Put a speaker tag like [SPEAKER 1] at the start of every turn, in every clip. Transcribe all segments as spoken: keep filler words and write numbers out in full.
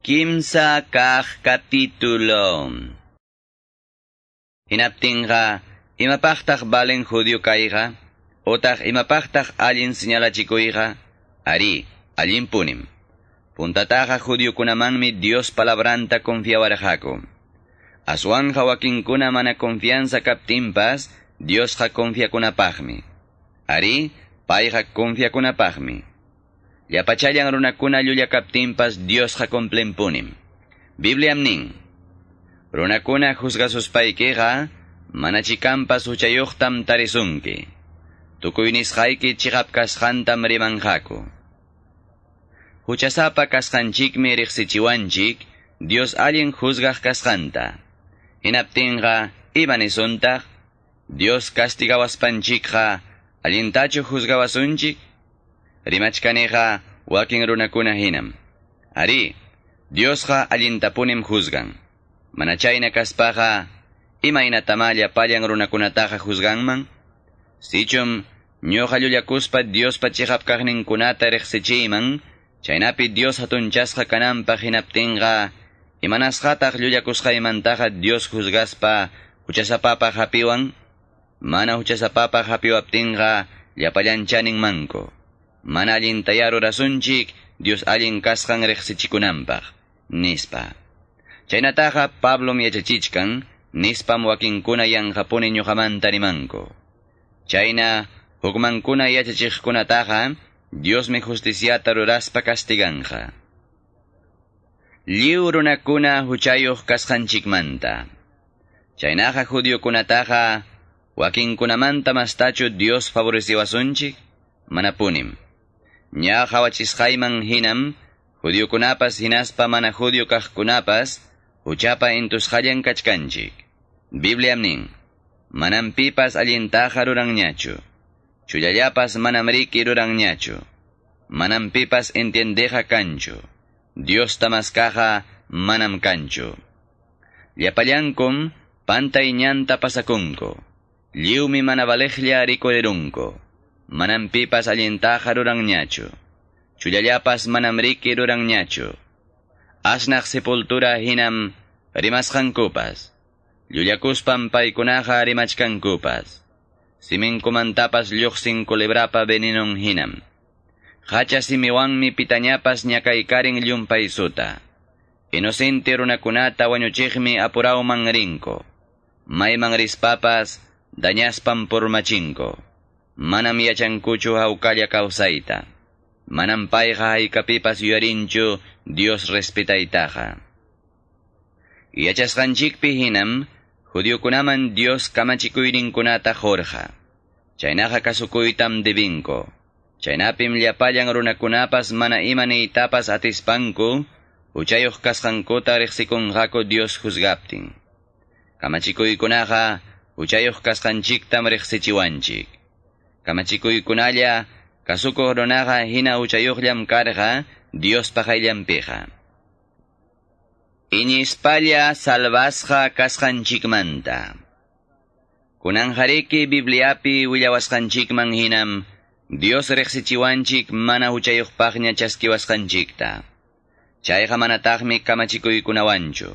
[SPEAKER 1] Kimsa kaq capítulo. Hinaptinqa, imapaqtaq valen judío kayqa, otaq imapaqtaq allin señalachikuyqa, ari, allinpunim. Puntataqa judiokunamanmi Dios palabranta confiawarqaku. Aswanja wakinkuna mana confianza kaptinpas, Diosqa confiakunapaqmi. Ari, payqa confiakunapaqmi. Llapachallan runakuna llulla kaptinpas Diosqa cumplinpunim. Bibliam nin, runakuna juzgasuspaykiqa, mana chikanpas huchayuqtam tarisunki. Tukuy nisqayki chiqap kasqantam rimanqaku. Huchasapa kasqanchikmi riqsichiwanchik, Dios allin juzgaq kasqanta. Hinaptinqa, ima nisuntaq, Dios castigawaspanchikqa, allintachu juzgawasunchik? Rimachkaniqa wakin runakuna hinam. Ari, Diosqa allintapunim juzgan. Mana chayna kaspaqa, imaynatamá llapallan runakunataqa juzganman? Sichum, ñuqa llullakuspa Diospa chiqap kaqninkunata riqsichiyman, chaynapi Dios hatunchasqa kananpaq hinaptinqa, imanasqataq llullakusqaymantaqa Dios juzgaspa huchasapapaq hapiwan? Mana huchasapapaq hapiwaptinqa llapallancha ninmanku. Mana allintayá rurasunchik Dios allin kasqan riqsichikunanpaq, nispa. Chaynataqa Pablom yachachichkan, nispam wakinkuna yanqapuni ñuqamanta rimanku. Chayna hukmankuna yachachiqkunataqa Diosmi justiciata ruraspa castiganqa. Lliw runakuna huchayuq kasqanchikmanta. Chaynaqa judiokunataqa wakinkunamanta mastachu Dios favoreciwasunchik? Manapunim. Ña qhawachisqayman hinam, judiokunapas hinaspa mana judio kaqkunapas, huchapa intusqallan kachkanchik. Bibliam nin, manam pipas allintaqa ruranñachu, chullallapas manam riki ruranñachu, manam pipas entiendeqa kanchu, Diosta maskaqa manam kanchu. Llapallankum pantay ñanta pasakunku, lliwmi mana valeqlla rikurirunku. Manam pipas allintaqa ruranñachu, chullallapas manam riki ruranñachu. Asnaq sepultura hinam rimasqankupas, llullakuspam paykunaqa rimachkankupas. Siminkumantapas lluqsin culebrapa venenon hinam. Hacha simiwanmi pitañapas ñakaykarin llumpaysuta. Inocente runakunata wañuchiqmi apurawman rinko. Mayman rispapas dañaspam purmachinko. Manam yachankuchu hawkalla kawsayta. Manam payqa haykapipas yuyarinchu Dios respetaytaqa. Yachasqanchikpi hinam, judiokunaman Dios kamachikuyninkunata qurqa. Chaynaqa kasukuytam debinku. Chaynapim llapallan runakunapas mana ima niytapas atispanku, huchayuq kasqankuta riqsikunqaku Dios juzgaptin. Kamachikuykunaqa huchayuq kasqanchiktam riqsichiwanchik. Kamachikuykunalla kasukuq runaqa hina huchayuqllam karqa Diospa qayllanpiqa. Iñispalla salvasqa kasqanchikmanta. Kunanqariki Bibliapi willawasqanchikman hinam Dios riqsichiwanchik mana huchayuqpaqña chaskiwasqanchikta. Chayqa manataqmi kamachikuykunawanchu.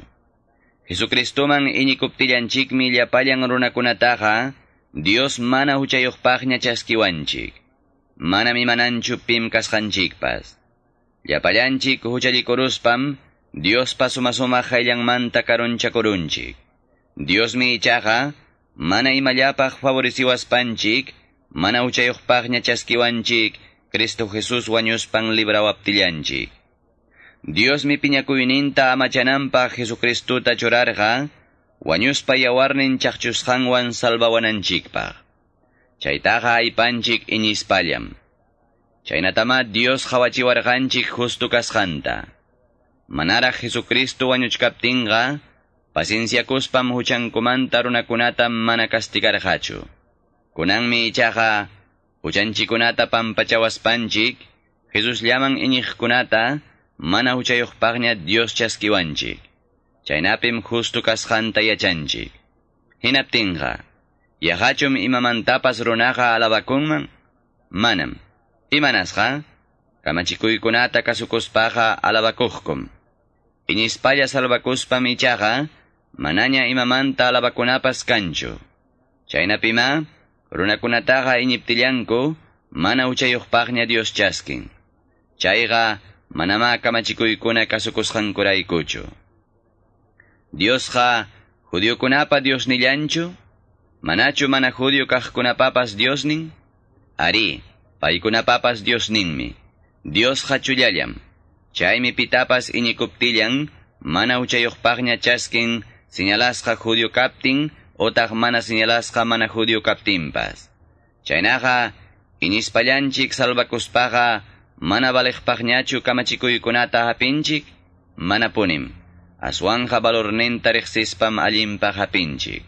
[SPEAKER 1] Jesucristoman iñikuptillanchikmi llapallan runakunataqa Dios mana huchayuqpaqña chaskiwanchik. Manam imananchu pim kasqanchikpas. Llapallanchik huchallikuruspam Diospa suma-sumaq qayllanmanta karunchakurunchik. Diosmi ichaqa mana imallapaq favoreciwaspanchik, mana huchayuqpaqña chaskiwanchik, Cristo Jesús wañuspan librawaptillanchik. Diosmi piñakuyninta amachananpaq Jesucristota churarqa, wañuspa yawarnin chaqchusqanwan salvawananchikpaq. Chaytaqa aypanchik iñispallam. Chaynatama Dios qawachiwarqanchik justo kasqanta. Manaraq Jesucristo wañuchkaptinqa, pacienciakuspam huchankumanta runakunata mana castigarqachu. Kunanmi ichaqa huchanchikunata pampachawaspanchik, Jesusllaman iñiqkunata mana huchayuqpaqña Dios chaskiwanchik. Chaynapim justo kasqanta yachanchik. Hinaptinqa, yaqachum imamantapas runaqa alabakunman? Manam. Imanasqa, kamachikuykunata kasukuspaqa alabakuqkum. Iñispalla salvakuspam ichaqa manaña imamanta alabakunapas kanchu. Chaynapima runakunataqa iñiptillanku mana huchayuqpaqña Dios chaskin. Chayqa manamá kamachikuykuna kasukusqankuraykuchu. Diosqa judiokunapa Diosnillanchu? Manachu mana judio kaqkunapapas Diosnin? Arí, paykunapapas Diosninmi. Diosqa chullallam. Chaymi pitapas iñikuptillan mana huchayuqpaqña chaskin señalasqa judio kaptin otaq mana señalasqa mana judio kaptinpas. Chaynaqa iñispallanchik salvakuspaqa mana valeqpaqñachu kamachikuykunata hapinchik, mana punim. Aswanja valorninta riqsispam allinpaq hapinchik.